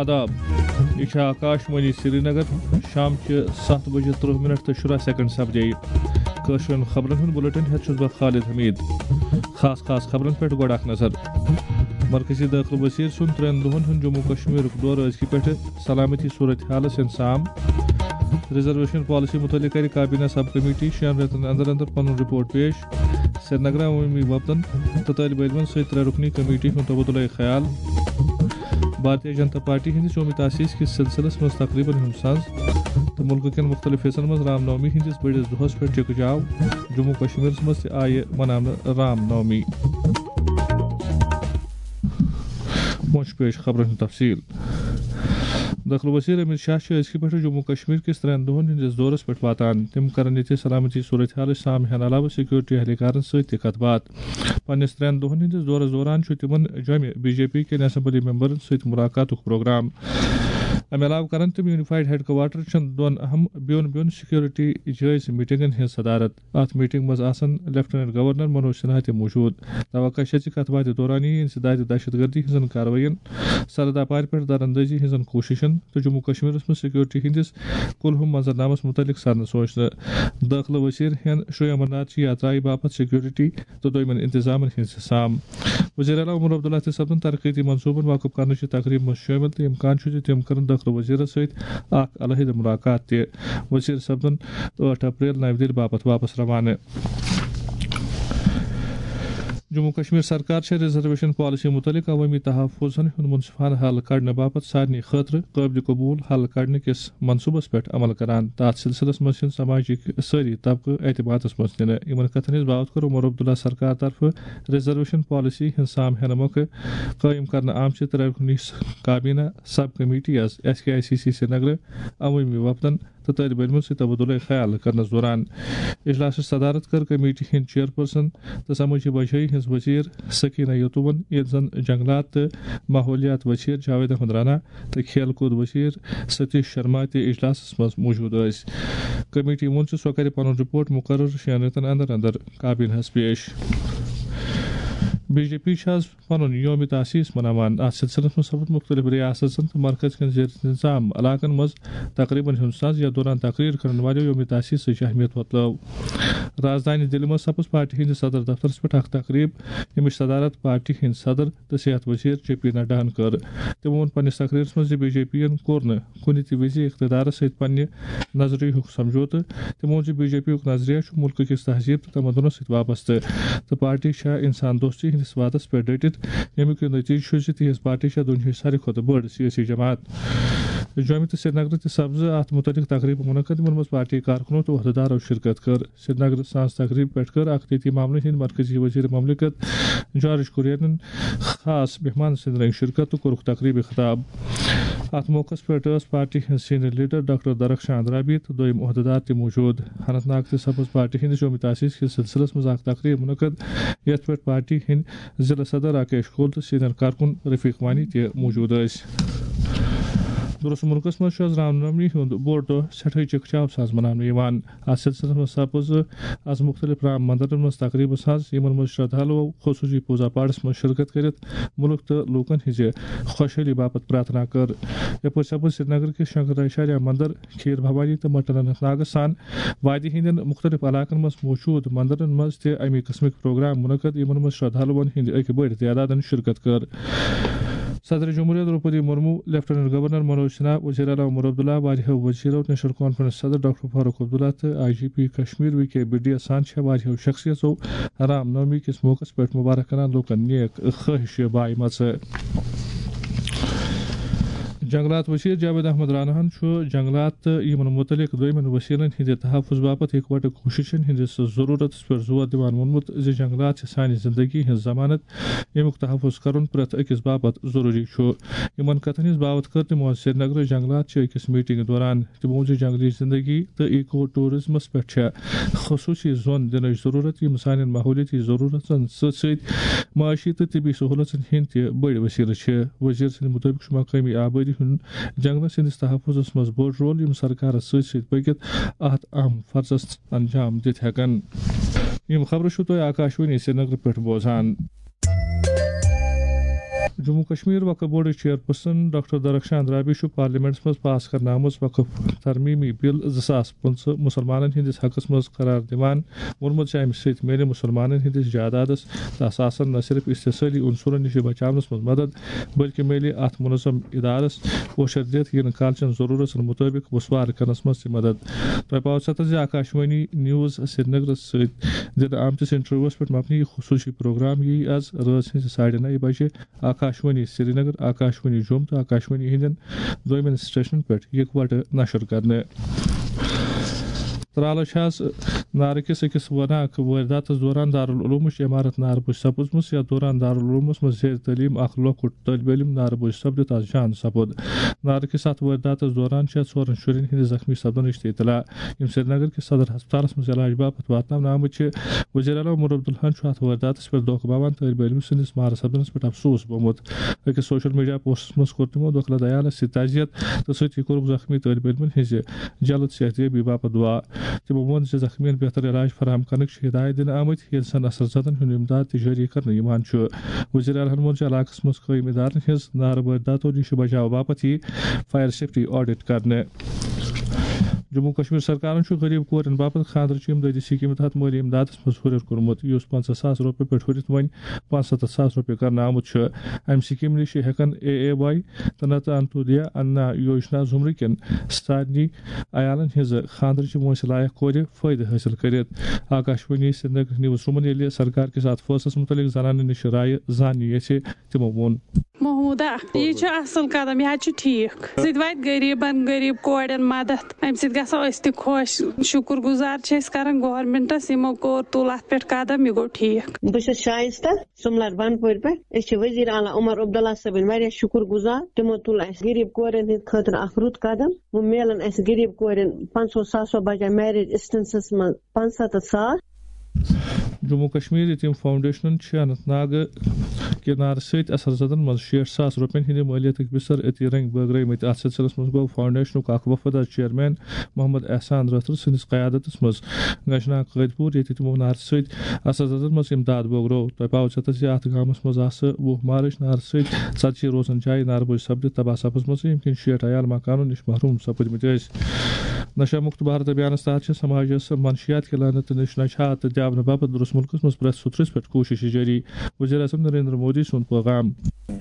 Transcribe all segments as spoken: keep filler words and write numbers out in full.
آداب، یہِ چھِ آکاش وانی سرینگر۔ شام چہِ ستھ بجے ترٕہ منٹ تہٕ شُراہ سیکنڈ سپدے۔ کٲشرٮ۪ن خبرن ہُنٛد بُلٹن ہٮ۪تھ چھُس بہٕ خالد حمید۔ خاص خاص خبرن پٮ۪ٹھ گۄڈٕ اکھ نظر۔ مرکزی دٲخلہٕ وزیر سُنٛد ترٛٮ۪ن دۄہن ہُنٛد جموں کشمیرُک دورٕ، أزکہِ پٮ۪ٹھٕ سلامتی صورتحالس ہٮ۪ن سام۔ ریزرویشن پالیسی متعلق کرِ کابینہ سب کمیٹی شٮ۪ن رٮ۪تن اندر اندر پنُن رپورٹ پیش۔ سرینگرٕ عوٲمی وفدن تہٕ طٲلبہِ علمن سۭتۍ ترٛےٚ رُکنی کمیٹی ہُنٛد تبادلہ خیال۔ بھارتیہ جنتا پارٹی ہٕنٛدِس یوم تاسیس کِس سلسلس منٛز تقریبن ہُنٛد ساز تہٕ مُلکہٕ کٮ۪ن مُختٔلِف حصن منٛز رام نومی ہٕنٛدِس بٔڑِس دۄہس پٮ۪ٹھ ٹِکہٕ جاو۔ جموں کشمیرس منٛز تہِ آیہِ مناونہٕ رام نومی۔ وۄنۍ چھُ پیش خبرن ہُنٛد تفصیل۔ دٲخلہٕ وزیر امت شاہ چھُ أزکہِ پٮ۪ٹھٕ جموں کشمیر کِس ترٛٮ۪ن دۄہن ہٕنٛدِس دورس پٮ۪ٹھ واتان۔ تِم کرن ییٚتہِ سلامتی صورتحالٕچ سام ہٮ۪نہٕ علاوٕ سیکورٹی اہلکارن سۭتۍ تہِ کتھ باتھ۔ پننِس ترٛٮ۪ن دۄہن ہٕنٛدِس دورس دوران چھُ تِمن جوٚمہِ بی جے پی کٮ۪ن اسمبلی ممبرن سۭتۍ ملاقاتُک پروگرام۔ امہِ علاوٕ کرن تِم یونیفائیڈ ہیڈ کوارٹر چٮ۪ن دۄن اہم بیوٚن بیوٚن سیکورٹی جٲیزٕ میٹنگن ہٕنٛز صدارت۔ اتھ میٹنگ منٛز آسن لیفٹیننٹ گورنر منوج سنہا تہِ موجود۔ توقع چھےٚ زِ کتھ باتھِ دوران یِیہِ انسداد دہشت گردی ہٕنٛزن کاروٲیین، سرحد اپارِ پٮ۪ٹھ دراندازی ہٕنٛزن کوٗششن تہٕ جموں کشمیرس منٛز سیکورٹی ہٕنٛدِس کُلہُم منظرنامس مُتعلق سرنہٕ سونچنہٕ۔ دٲخلہٕ وزیر ہٮ۪ن شری امرناتھ چہِ یاترایہِ باپتھ سیکورٹی تہٕ دوٚیمٮ۪ن انتظامن ہٕنٛز سام۔ وزیر اعلیٰ عمر عبداللہ تہِ سپدن ترقیتی منصوبن واقف کرنہٕ چہِ تقریبہِ منٛز شٲمِل تہٕ امکان چھُ زِ تِم کرن دٲخلہٕ وزیرس سۭتۍ اکھ علیحدٕ ملاقات تہِ۔ وزیر سپدن ٲٹھ اپریل نَوِ دِلہِ باپتھ واپس روانہٕ۔ جموں کشمیر سرکار چھےٚ ریزرویشن پالیسی متعلق عوٲمی تحفظن ہُنٛد منصفانہٕ حل کڑنہٕ باپتھ سارنٕے خٲطرٕ قٲبلِ قبول حل کڑنہٕ کِس منصوبس پٮ۪ٹھ عمل کران۔ تتھ سلسلس منٛز چھِ سماجٕکۍ سٲری طبقہٕ اعتمادس منٛز نِنہٕ۔ یِمن کتھن ہٕنٛز باوتھ کوٚر عمر عبداللہ سرکار طرفہٕ ریزرویشن پالیسی ہٕنٛز سام ہینہٕ مۄکھٕ قٲیِم کرنہٕ آمژِ ترٛےٚ رُکنی کابینہ سب کمیٹی یس S K I C C سرینگرٕ عوٲمی وفدن تہٕ طٲلبہِ علمن سۭتۍ تبادلہ خیال کرنس دوران۔ اجلاسٕچ صدارت کٔر کمیٹی ہٕنٛدۍ چیئرپرسن تہٕ سمٲجی بھلٲیی ہٕنٛز وزیر سکینہ یتومن، ییٚلہِ زن جنگلات تہٕ ماحولیات وزیر جاوید احمد رانا تہٕ کھیل کود وزیر ستیش شرما تہِ اجلاسس منٛز موجود ٲسۍ۔ کمیٹی ووٚن زِ سۄ کرِ پنُن رپورٹ مقرر شٮ۪ن رٮ۪تن اندر اندر کابینہس پیش۔ بی جے پی چھِ آز پنُن یوم تاسیس مناوان۔ اتھ سلسلس منٛز سپُد مُختٔلِف ریاستن تہٕ مرکز کٮ۪ن زیر انتظام علاقن منٛز تقریبن ہُنٛد ساز، یتھ دوران تقریر کرن والٮ۪و یوم تاسیسٕچ اہمیت وۄتلٲو۔ رازدانی دِلہِ منٛز سپٕز پارٹی ہٕنٛدِس صدر دفترس پٮ۪ٹھ اکھ تقریب، ییٚمِچ صدارت پارٹی ہٕنٛدۍ صدر تہٕ صحت وزیر جے پی نڈاہن کٔر۔ تِمو ووٚن پننِس تقریرس منٛز زِ بی جے پی ین کوٚر نہٕ کُنہِ تہِ وِزِ اقتدارس سۭتۍ پننہِ نظریہُک سمجھوتہٕ۔ تِمو ووٚن زِ بی جے پی یُک نظریہ چھُ مُلکہٕ کِس تہذیب تہٕ تمدنس سۭتۍ وابستہٕ، تہٕ پارٹی چھےٚ انسان دوستی ہٕنٛدِس وعدس پٮ۪ٹھ ڈٔٹِتھ، ییٚمیُک یہِ نتیجہٕ چھُ زِ تِہنٛز پارٹی چھےٚ دُنیاہٕچ ساروی کھۄتہٕ بٔڑ سیٲسی جماعت۔ جوٚمہِ تہٕ سرینگرٕ تہِ سپزٕ اتھ مُتعلق تقریبہٕ منعقد، یِمن منٛز پارٹی کارکنو تہٕ عہدٕدارو شرکت کٔر۔ سرینگرٕ سانز تقریب پٮ۪ٹھ کٔر اخطیتی معاملن ہٕنٛدۍ مرکزی وزیر مملکت جارج کُریَنن خاص مہمان سٕنٛدِ رنگہِ شرکت تہٕ کوٚرُکھ تقریبہِ خطاب۔ اتھ موقعس پٮ۪ٹھ ٲس پارٹی ہٕنٛز سینئر لیڈر ڈاکٹر درخشان رابی تہٕ دوٚیم عہدٕدار تہِ موجود۔ اننت ناگ تہِ سپٕز پارٹی ہٕنٛدِس یوم تاسیس کِس سلسلس منٛز اکھ تقریب منعقد، یتھ پٮ۪ٹھ پارٹی ہٕنٛدۍ ضلع صدر راکیش کول تہٕ سینئر کارکُن رفیق وانی تہِ موجود ٲسۍ۔ درست مُلکس منٛز چھُ آز رام نومی ہُنٛد بوٚڑ دۄہ سٮ۪ٹھاہٕے چکچاو ساز مناونہٕ یِوان۔ اتھ سلسلس منٛز سپٕز از مُختٔلِف رام مندرن منٛز تقریبہٕ ساز، یِمن منٛز شردھالو خصوصی پوزا پاٹھس منٛز شرکت کٔرِتھ مُلک تہٕ لوٗکن ہٕنٛزِ خۄشحٲلی باپتھ پرارتھنا کٔر۔ یپٲرۍ سپٕز سرینگر کِس شنکراچاریہ مندر، کھیٖر بھوانی تہٕ مٹن اننت ناگس سان وادی ہٕنٛدٮ۪ن مُختٔلِف علاقن منٛز موجود مندرن منٛز تہِ اَمی قٕسمٕکۍ پروگرام منعقد، یِمن منٛز شردھالوَن ہٕنٛدِ اَکہِ بٔڑۍ تعدادن شرکت کٔر۔ صدر جمہوریہ دروپدی مرمو، لیفٹیننٹ گورنر منوج سنہا، وزیر اعلیٰ عمر عبداللہ، واریاہو وزیرو، نیشنل کانفرنس صدر ڈاکٹر فاروق عبداللہ تہٕ I G P Kashmir V K بڈیا سان چھےٚ واریاہو شخصیژو رام نومی کِس موقعس پٮ۪ٹھ مبارک کران لوٗکن نیک خواہش بایمژٕ۔ جنگلات وزیر جاوید احمد راناہن چھُ جنگلات تہٕ یِمن مُتعلق دوٚیمٮ۪ن وسیلن ہٕنٛدِ تحفظ باپتھ اکوٹہٕ کوٗششن ہٕنٛدِس ضروٗرتس پٮ۪ٹھ زور دِوان ووٚنمُت زِ جنگلات چھِ سانہِ زندگی ہٕنٛز ضمانت، ییٚمیُک تحفظ کرُن پرٛٮ۪تھ أکِس باپتھ ضروٗری چھُ۔ یِمن کتھن ہٕنٛز باوتھ کٔر تِمو آز سرینگرٕ جنگلات چہِ أکِس میٹنگہِ دوران۔ تِمو ووٚن زِ جنگلی زندگی تہٕ ایکو ٹورازمس پٮ۪ٹھ چھےٚ خصوٗصی زون دِنٕچ ضروٗرت، یِم سانٮ۪ن ماحولیٲتی ضروٗرتن سۭتۍ سۭتۍ معاشی تہٕ طبی سہوٗلژن ہٕنٛدۍ تہِ بٔڑۍ وسیلہٕ چھِ۔ وزیر سٕنٛدِ مُطٲبِق چھُ مقٲمی آبٲدی ہُنٛد جنگلس ہٕنٛدِس تحفظس منٛز بوٚڑ رول، یِم سرکارس سۭتۍ سۭتۍ پٔکِتھ اتھ اہم فرضس انجام دِتھ ہٮ۪کن۔ یِم خبرٕ چھِو تُہۍ آکاشوانی سرینگرٕ پٮ۪ٹھ بوزان۔ جموں کشمیر وقف بورڈٕچ چیئرپرسن ڈاکٹر درخشان رابی چھُ پارلیمنٹس منٛز پاس کرنہٕ آمٕژ وقف ترمیمی بل زٕ ساس پٕنٛژٕہ مسلمانن ہٕنٛدِس حقس منٛز قرار دِوان ووٚنمُت زِ امہِ سۭتۍ میلہِ مسلمانن ہٕنٛدِس جائیدادس تہٕ اثاثن نہ صرف استحصٲلی عنصرن نِش بچاونس منٛز مدد، بلکہِ میلہِ اتھ منظم ادارس پوچھر دِتھ یِنہٕ کالچن ضرورتن مطٲبق وسوار کرنس منٛز تہِ مدد۔ تۄہہِ پاوٕ ژھۄتس زِ آکاشوانی نیوز سرینگرس سۭتۍ دِنہٕ آمتِس انٹرویوس پٮ۪ٹھ مبنی یہِ خصوٗصی پروگرام ییہِ از رٲژ ہٕنٛزِ ساڑِ نَیہِ بجہِ آکاشوانی سرینگر، آکاشوانی جوم تہٕ آکاشوانی ہٕنٛدٮ۪ن دویمٮ۪ن سٹیشنن پٮ۪ٹھ یکوٹہٕ نشر کرنہٕ۔ ترالہٕ چھِ آز نارٕ کِس أکِس وٲناکھ وٲرۍداتَس دوران دارالعلومٕچ عمارت نارٕ بوٚچھ سپٕزمٕژ، یَتھ دوران دارالعلومَس منٛز زیر تعلیٖم اَکھ لۄکُٹ طٲلبہِ علم نارٕ بوٚچھ سپدِتھ آز جان سپُد۔ نارٕ کِس اَتھ وٲرۍداتَس دوران چھےٚ ژورَن شُرٮ۪ن ہٕنٛدِ زخمی سپدنٕچ تہِ اطلاع، یِم سرینگر کِس صدر ہسپتالَس منٛز علاج باپتھ واتناونہٕ آمٕتۍ چھِ۔ وزیر اعلیٰ عمر عبداللہن چھُ اَتھ وٲرۍداتَس پٮ۪ٹھ دھوکہٕ باوان طٲلبہِ علمہٕ سٕنٛدِس مارٕ سپدنَس پٮ۪ٹھ افسوس بوٚمُت۔ أکِس سوشل میڈیا پوسٹَس منٛز کوٚر تِمو دۄکھلہٕ دیالَس سۭتۍ تعزیت تہٕ سۭتی کوٚرُکھ زخمی طٲلبہِ علمَن ہٕنٛزِ جلد صحت یابی باپتھ دعا۔ تِمو ووٚن زِ زخمیَن بہتر علاج فراہم کرنٕکۍ چھِ ہدایت دِنہٕ آمٕتۍ، ییٚلہِ زن اثر زدن ہُنٛد امداد تہِ جٲری کرنہٕ یِوان چھُ۔ وزیر اعلیٰ ہَن ووٚن زِ علاقَس منٛز قٲیِم ادارن ہٕنٛز نارٕ وٲرۍداتو نِش بچاو باپتھ یِیہِ فائر سیفٹی آڈٹ کرنہٕ۔ جموں کشمیر سرکارن چھُ غریب کورٮ۪ن باپتھ خاندرٕچ امدادی سکیٖمہِ تحت مٲلی امدادس منٛز ہُرٮ۪ر کوٚرمُت، یُس پنٛژاہ ساس رۄپیہِ پٮ۪ٹھ ہُرِتھ وۄنۍ پانٛژھ ہَتھ تہٕ ساس رۄپیہِ کرنہٕ آمُت چھُ۔ امہِ سکیٖمہِ نِش ہٮ۪کن اے اے واے تہٕ نتہٕ انتودیا انا یوجنا زمرٕ کٮ۪ن سارنٕے عیالن ہٕنٛز خاندرٕچ وٲنٛسہِ لایق کورِ فٲیدٕ حٲصِل کٔرِتھ۔ آکاشوانی سرینگر نیوز روٗمن ییٚلہِ سرکار کِس اتھ فٲصلس مُتعلق زنانن نِش رایہِ زاننہِ یژھِ، تِمو ووٚن۔ محمودہ، یہِ چھُ اصل قدم، یہِ حظ چھُ ٹھیٖک۔ سُہ تہِ واتہِ غریٖبن، غریٖب کورٮ۪ن مدد۔ امہِ سۭتۍ گژھو أسۍ تہِ خۄش۔ شُکر گُزار چھِ أسۍ کران گورنمنٹس، یِمو کوٚر، تُل اتھ پٮ۪ٹھ قدم، یہِ گوٚو ٹھیٖک۔ بہٕ چھَس شائستہ سُملر بنپورِ پٮ۪ٹھ۔ أسۍ چھِ وزیر اعلیٰ عمر عبداللہ صٲبٕنۍ واریاہ شُکر گُزار۔ تِمو تُل اَسہِ غریٖب کورٮ۪ن ہٕنٛدِ خٲطرٕ اکھ رُت قدم۔ وۄنۍ میلن اَسہِ غریٖب کورٮ۪ن پنٛژاہ ساس بجایہِ میریج اسسٹنسس منٛز پانٛژھ ہَتھ ساس۔ جموں کشمیر یتیم فاؤنڈیشنن چھِ اننت ناگ کہِ نارٕ سۭتۍ اثر زدن منٛز شیٹھ ساس رۄپین ہٕنٛدِ مٲلیتٕکۍ بستر عطیہ رنگۍ بٲگرٲومٕتۍ۔ اتھ سلسلس منٛز گوٚو فاؤنڈیشنُک اکھ وفد از چیئرمین محمد احسان رٲتھر سٕنٛدِس قیادتس منٛز گشناگ قٲدۍ پوٗر، ییٚتہِ تِمو نارٕ سۭتۍ اثر زدن منٛز امداد بٲگرو۔ تۄہہِ پاوٕ ژھۄتس زِ اتھ گامس منٛز آسہٕ وُہ مارچ نارٕ سۭتۍ ژتجی روزن جایہِ نارٕ بوٚچھ سپدِتھ تباہ سپٕزمٕژ، ییٚمہِ کِنۍ شیٹھ عیال مکانو نِش محروم سپٕدمٕتۍ ٲسۍ۔ نشہ مکت بھارت ابھیانس تحت چھِ سماجس منشیات کہِ لعنت نِش نجات دِیاونہٕ باپتھ درس مُلکس منٛز پرٛٮ۪تھ سُترس پٮ۪ٹھ کوٗشش جٲری۔ وزیر اعظم نریندر مودی سُنٛد پیغام۔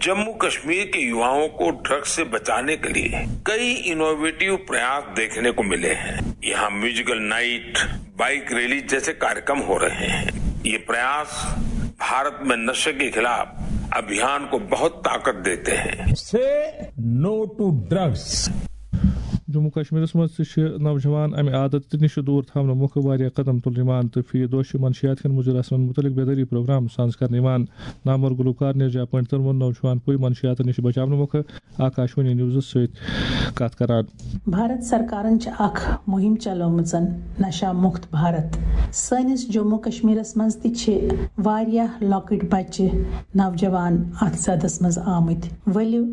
जम्मू कश्मीर के युवाओं को ड्रग्स से बचाने के लिए कई इनोवेटिव प्रयास देखने को मिले हैं। यहाँ म्यूजिकल नाइट, बाइक रैली जैसे कार्यक्रम हो रहे हैं। ये प्रयास भारत में नशे के खिलाफ अभियान को बहुत ताकत देते हैं। Say no to drugs. Jammu کشمیرس منٛز تہِ چھِ نوجوان امہِ عادتہٕ نِش دوٗر تھاونہٕ مۄکھٕ واریاہ قدم تُلنہٕ یِوان تہٕ فی دۄہ چھِ منشیات کٮ۪ن مُضِر اثرن مُتعلق بیدٲری پروگرام سانز کرنہٕ یِوان۔ نامور گلوکار نیرجا پنڈتن ووٚن نوجوان پُے منشیاتن نِش بچاونہٕ مۄکھٕ آکاشوانی نیوزس سۭتۍ کتھ کران۔ بھارت سرکارن چھِ اکھ مُہِم چلٲومٕژ نشہ مُکت بھارت۔ سٲنِس جموں کشمیرس منٛز تہِ چھِ واریاہ لۄکٕٹۍ بچہِ، نوجوان اتھ زدس منٛز آمٕتۍ۔ ؤلِو،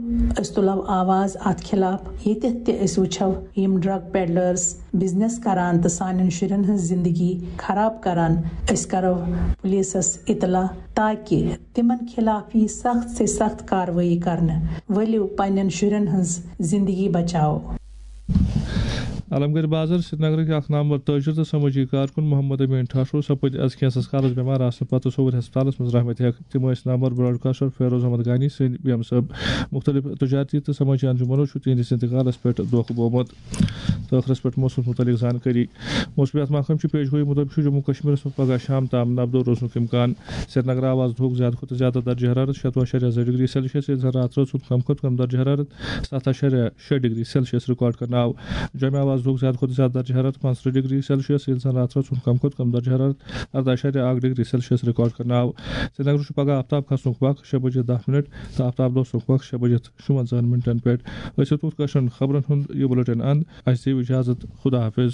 أسۍ تُلو آواز اتھ خلاف۔ ییٚتٮ۪تھ تہِ أسۍ وٕچھو یِم ڈرگ پیڈلرز بزنس کران تہٕ سانٮ۪ن شُرٮ۪ن ہٕنٛز زندگی خراب کران، أسۍ کرو پُلیٖسس اطلاع تاکہِ تِمن خلاف یی سخت سے سخت کاروٲیی کرنہٕ۔ ؤلِو، پننٮ۪ن شُرٮ۪ن ہٕنٛز زندگی بچاوو۔ علمگڑھ بازر سرینگرٕکۍ اکھ نامور تٲجر تہٕ سمٲجی کارکُن محمد امین ٹھاٹھو سپٕدۍ از کینٛژس کالس بٮ۪مار آسنہٕ پتہٕ صووُر ہسپتالس منٛز رحمتِ حق۔ تِم ٲسۍ نامور براڈکاسٹر فیروز احمد غانی سٕنٛدۍ بیمہٕ سبب۔ مُختٔلِف تجارتی تہٕ سمٲجی انجمنو چھُ تِہنٛدِس انتقالس پٮ۪ٹھ دۄکھ بوٚومُت۔ تہٕ ٲخرس پٮ۪ٹھ موسمس مُتعلق زانکٲری۔ موسمیات محکمہٕ چھُ پیش گویی مُطٲبِق چھُ جموں کشمیرس منٛز پگاہ شام تام نبدو روزنُک امکان۔ سرینگر آو از دُہُک زیادٕ کھۄتہٕ زیادٕ درجہ حرارت شتوُہ اعشاریہ زٕ ڈگری سیلسیس، ییٚلہِ زن راتھ رٲژ ہُنٛد کم کھۄتہٕ کم درجہ حرارت ستھ اعشاریہ شےٚ ڈگری سیلسیس ریکارڈ کرنہٕ آو۔ جوٚمہِ آو از دُہُک زیادٕ کھۄتہٕ زیادٕ درجہ حرارت پانٛژترٕٛہ ڈگری سیلسیس، ییٚلہِ زن راتھ رٲژ ہُنٛد کم کھۄتہٕ کم درجہ حرارت ارداہ اعشاریہ اکھ ڈگری سیلسیس ریکارڈ کرنہٕ آو۔ سرینگرٕ چھُ پگاہ آفتاب کھسنُک وق شےٚ بجے دَہ منٹ تہٕ آفتاب لوسنُک وق شےٚ بجے تہٕ شُوَنزاہَن منٹن پٮ۪ٹھ۔ أسۍ واتو کٲشرٮ۪ن خبرن ہُنٛد یہِ بُلٹن اند۔ اَسہِ دِیِو اجازت۔ خدا حافظ۔